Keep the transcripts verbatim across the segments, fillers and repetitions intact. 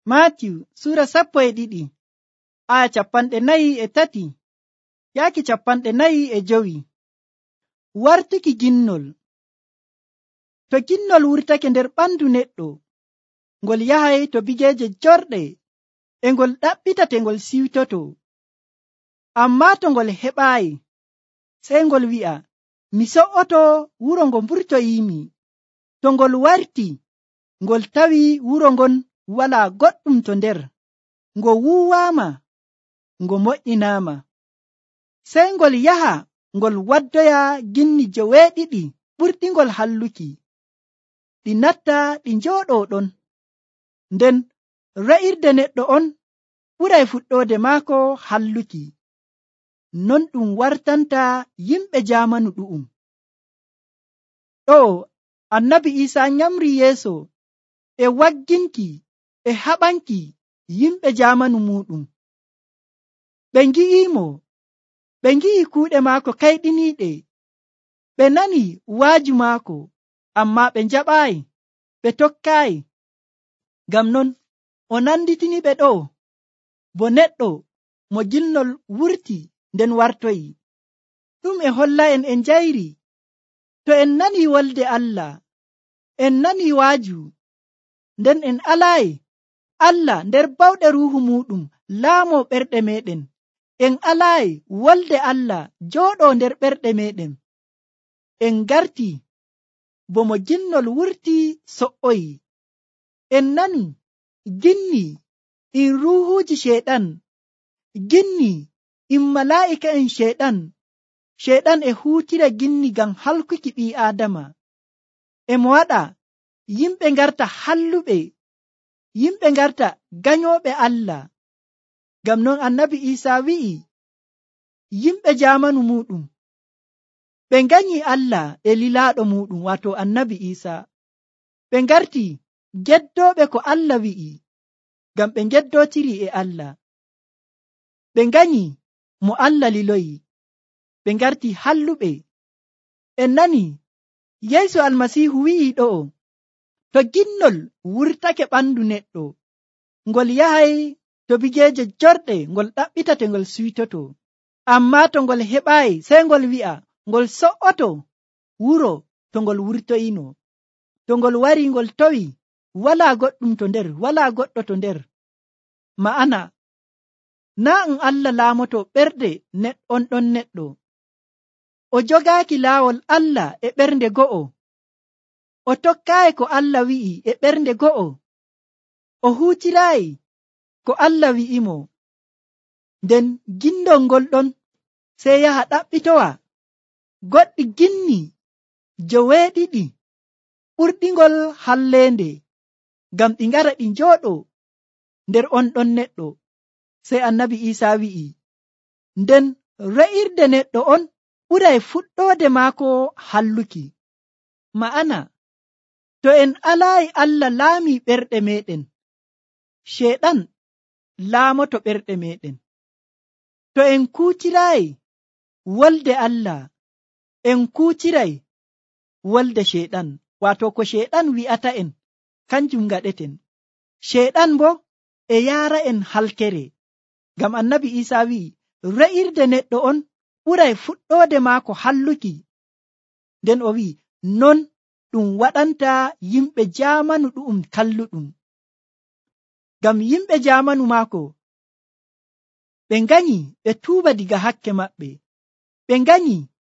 Maatiyu sura sappo e ɗiɗi aya capanɗe nayi e tati yaaki capanɗe nayi e jowi. Wartuki ginnol. To ginnol wurtake nder ɓandu neɗɗo, ngol yahay to bigeeje jorɗe e ngol ɗaɓɓitata ngol siwtoto. Ammaa to ngol heɓaayi, sey ngol wi'a, mi so'oto wuro ngo mburtoyiimi. To ngol warti, ngol tawi wuro ngon walaa goɗɗum to nder, ngo wuuwaama, ngo moƴƴinaama. Sey ngol yaha ngol waddoya ginni joweeɗiɗi ɓurɗingol halluki, ɗi natta ɗi njooɗoo ɗon. Nden re'irde neɗɗo on ɓuray fuɗɗoode maako halluki. Non ɗum wartanta yimɓe jaamanu ɗu'um. Ɗo annabi Iisaa nyamri yeeso e wagginki e haɓanki yimɓe jaamanu muɗum. Ɓe ngi'imo, ɓe ngi'i kuuɗe maako kayɗiniiɗe, ɓe nani waaju maako, ammaa ɓe njaɓaayi, ɓe tokkaayi. Ngam non o nanditini ɓe ɗo bo neɗɗo mo ginnol wurti nden wartoyi. Ɗum e holla en en njayri, to en nani wolde Allah, en nani waaju, nden en alaayi Allah nder bawɗe ruuhu muɗum laamo ɓerɗe meɗen, en alaayi wolde Allah jooɗo nder ɓerɗe meɗen, en garti bo mo ginnol wurti so'oyi. En nani ginni in ruuhuuji sheeɗan, ginni in malaa'ika en sheeɗan. Sheeɗan e huutira ginni ngam halkuki ɓii aadama. E mo waɗa yimɓe ngarta halluɓe, yimɓe ngarta ganyooɓe Allah. Ngam non annabi Iisaa wi'i yimɓe jaamanu muɗum ɓe nganyi Allah e lilaaɗo muɗum, waato annabi Iisaa. Ɓe ngarti geddooɓe ko Allah wi'i, ngam ɓe geddootiri e Allah. Ɓe nganyi mo Allah liloyi, ɓe ngarti halluɓe. En nani Yeesu Almasiihu wi'i ɗo'o, to ginnol wurtake ɓandu neɗɗo, ngol yahay to bigeeje jorɗe ngol ɗaɓɓitate ngol siwtoto. Ammaa to ngol heɓaayi, sey ngol wi'a ngol so'oto wuro to ngol wurtoyino. To ngol wari ngol towi walaa goɗɗum to nder, walaa goɗɗo to nder. Ma'ana naa um Allah laamoto ɓerɗe on ɗon neɗɗo. O jogaaki laawol Allah e ɓernde go'o, o tokkaayi ko Allah wi'i e ɓernde go'o, o huutiraayi ko Allah wi'imo. Nden gindol ngol ɗon sey yaha ɗaɓɓitowa goɗɗi ginni joweeɗiɗi ɓurɗingol halleende, ngam ɗi ngara ɗi njooɗo nder on ɗon neɗɗo. Sey annabi Iisaa wi'i, nden re'irde neɗɗo on ɓuray fuɗɗoode maako halluki. Ma'ana to en alaayi Allah laami ɓerɗe meɗen, sheeɗan laamoto ɓerɗe meɗen. To en kuutiraayi wolde Allah, en kuutiray wolde sheeɗan, waato ko sheeɗan wi'ata en kanjum ngaɗeten. Sheeɗan bo e yaara en halkere, ngam annabi Iisaa wi'i re'irde neɗɗo on ɓuray fuɗɗoode maako halluki. Nden o wi'i non ɗum waɗanta yimɓe jaamanu ɗu'um kalluɗum. Ngam yimɓe jaamanu maako ɓe nganyi ɓe tuuba diga hakke maɓɓe, ɓe nganyi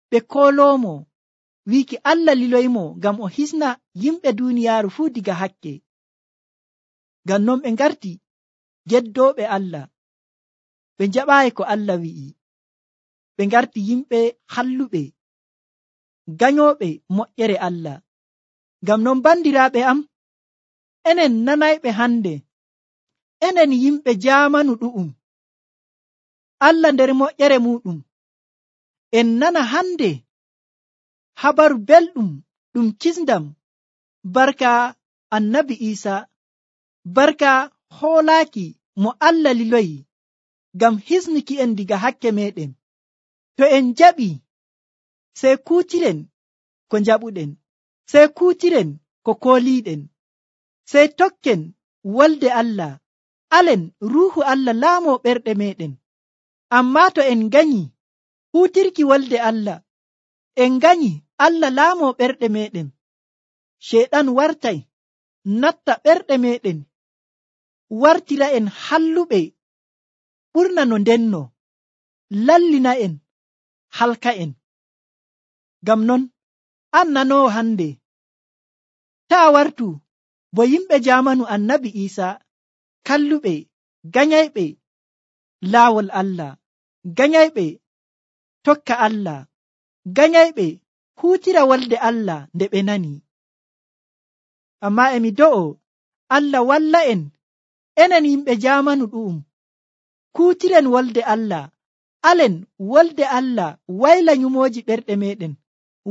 ɓe kooloomo wiiki Allah liloymo ngam o hisna yimɓe duuniyaaru fuu diga hakke. Ngam non ɓe ngarti geddooɓe Allah, ɓe njaɓaayi ko Allah wi'i, ɓe ngarti yimɓe halluɓe, ganyooɓe moƴƴere Allah. Ngam non bandiraaɓe am, enen nanayɓe hande, enen yimɓe jaamanu ɗu'um, Allah nder moƴƴere muɗum, en nana hande habaru belɗum ɗum kisndam barka annabi Iisaa, barka hoolaaki mo Allah liloyi ngam hisnuki en diga hakke meɗen. To en jaɓi, sey kuutiren ko njaɓuɗen, sey kuutiren ko kooliiɗen, sey tokken wolde Allah alen ruuhu Allah laamo ɓerɗe meɗen. Ammaa to en ganyi huutirki wolde Allah, en ganyi Allah laamo ɓerɗe meɗen, Sheyɗan wartay natta ɓerɗe meɗen, wartira en halluɓe ɓurna no ndenno, lallina en, halka en. Ngam non, an nanoowo hande, taa wartu bo yimɓe jaamanu Annabi Iisaa, kalluɓe, ganyayɓe laawol Allah, ganyayɓe tokka Allah, ganyayɓe huutira wolde Allah nde ɓe nani. Ammaa emi do'o Allah walla en, enen yimɓe jaamanu ɗu'um, kuutiren wolde Allah, alen wolde Allah wayla nyumooji ɓerɗe meɗen,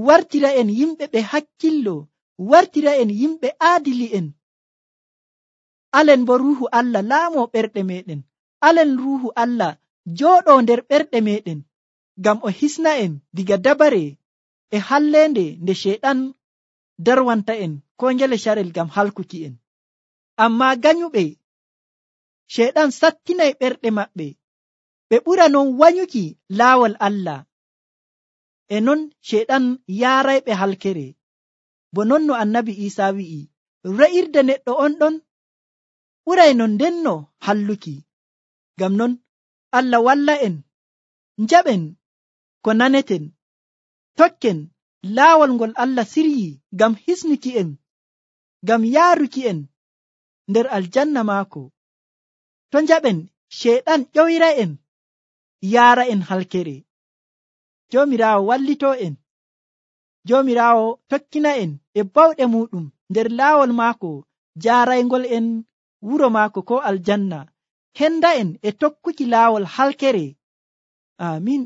wartira en yimɓe ɓe hakkillo, wartira en yimɓe aadili'en. Alen bo ruuhu Allah laamo ɓerɗe meɗen, alen ruuhu Allah jooɗo nder ɓerɗe meɗen, ngam o hisna en diga dabare e halleende nde Sheyɗan darwanta en ko ngele carel ngam halkuki en. Ammaa ganyuɓe, Sheyɗan sattinay ɓerɗe maɓɓe, ɓe ɓura non wanyuki laawol Allah, e non Sheyɗan yaarayɓe halkere, bo non no Annabi Iisaa wi'i, re'irde neɗɗo on ɗon ɓuray no ndenno halluki. Ngam non Allah walla en, njaɓen ko naneten, tokken laawol ngol Allah siryi ngam hisnuki en, ngam yaaruki en nder aljanna maako. To njaɓen Sheyɗan ƴoyra en, yaara en halkere. Joomiraawo wallito en, Joomiraawo tokkina en e bawɗe muɗum nder laawol maako jaaraygol en wuro maako ko aljanna, henda en e tokkuki laawol halkere. Amin.